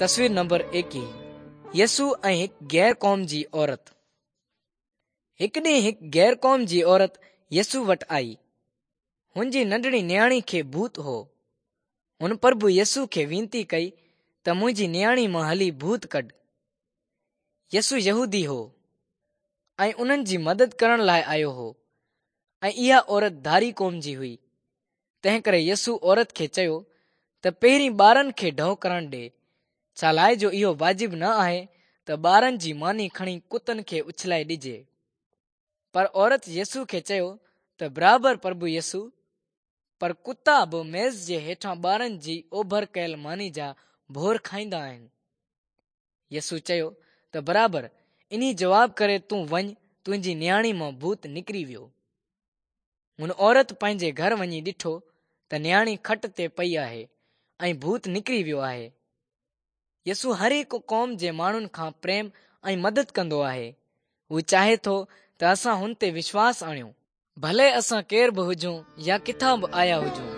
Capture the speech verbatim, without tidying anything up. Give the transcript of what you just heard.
تصوير نمبر ايڪيهه يسوع ۽ هڪ غير قوم جي عورت. هڪ ڏينهن هڪ غير قوم جي عورت يسوع وٽ آئي. هن جي ننڍڙي نياڻي کي ڀوت هو. هن پرڀو يسوع کي وينتي ڪئي ته منهنجي نياڻي مان هلي ڀوت ڪڍ. يسوع يهودي هو ۽ انهن جي مدد ڪرڻ لاء آيو هو ۽ اها عورت ڌاري قوم جي هئي. تنهن ڪري يسوع عورت کي چيو ته پهرين ٻارن کي ڍؤ ڪرڻ ڏي، ڇا لاءِ جو اهو واجب نه آهي ته ٻارن جي ماني کڻي ڪتن کي اڇلائي ڏجي. پر عورت يسوع کي چيو ته برابر پرڀو يسوع، پر ڪتا به ميز جي هيٺان ٻارن جي اوڀر ڪيل ماني جا ڀور کائيندا آهن. يسوع چيو ته برابر، انهي جواب ڪري تون وڃ، تنهنجي نياڻي مان ڀوت نڪري ويو. هن عورت پنهنجي گهر وڃي ڏٺو ته نياڻي کٽ تي پئي آهي ۽ ڀوت نڪري ويو آهي. يسوع هر هڪ قوم جي ماڻهن کان پريم ۽ مدد ڪندو آهي. هو چاهي ٿو ته اسان هن تي وشواس آڻيون، ڀلي اسان ڪير به هجون يا ڪٿان به آيا هجون.